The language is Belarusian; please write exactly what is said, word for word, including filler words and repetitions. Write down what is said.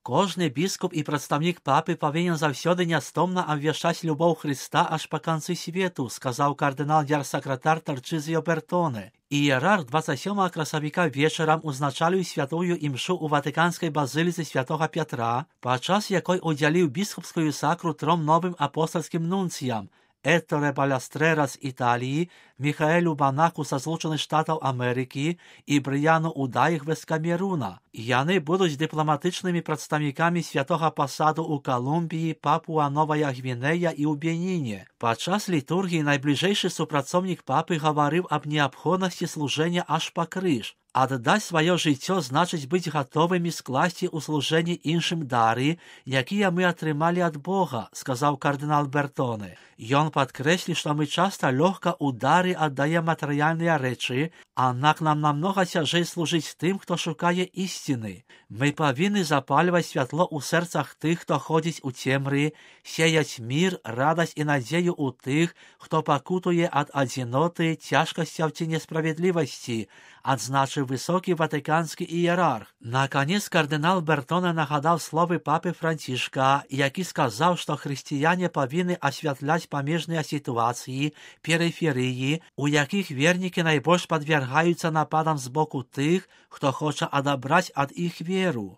Кожны біскуп і прадстаўнік папы павінен заўсёды нястомна абвяшчаць любоў Хрыста аж па канцы свету, сказаў кардынал-герсакратар Тарчызіо Бертоне. Іерарх двадцать сёмага красавіка вечарам узначаліў святую імшу ў ватыканскай базыліцы святога Пятра, падчас якой удзяліў біскупскую сакру тром новым апостальскім нунцыям: Этторе Балястрэра з Італіі, Міхаэлю Банаку са Злучаных Штатаў Амерыкі і Брыяну Удаігве з Камеруна. Яны будуць дыпламатычнымі прадстаўнікамі святога пасаду ў Калумбіі, Папуа-Новая Гвінея і ў Беніне. Падчас літургіі найбліжэйшы супрацоўнік папы гаварыў аб неабходнасці служэння аж па крыж. Аддаць сваё жыццё значыць быць гатовымі скласці ў служэнні іншым дары, якія мы атрымалі ад Бога, сказаў кардынал Бертоне. Ён падкрэсліў, што мы часта лёгка ў дары аддаем матэрыяльныя рэчы, аднак нам намнога цяжэй служыць тым, хто шукае ісціны. Мы павінны запальваць святло ў сэрцах тых, хто ходзіць у цемры, сеяць мір, радасць і надзею ў тых, хто пакутуе ад адзіноты, цяжкасцяў ці несправядлівасці, адзначыў высокі ватыканскі іерарх. Наконец, кардынал Бертоне нагадаў словы папы Францішка, які сказаў, што хрысціяне павінны асвятляць памежныя сітуацыі, перыферыі, у якіх вернікі найбольш падвяргаюцца нападам з боку тых, хто хоча адабраць ад іх веру.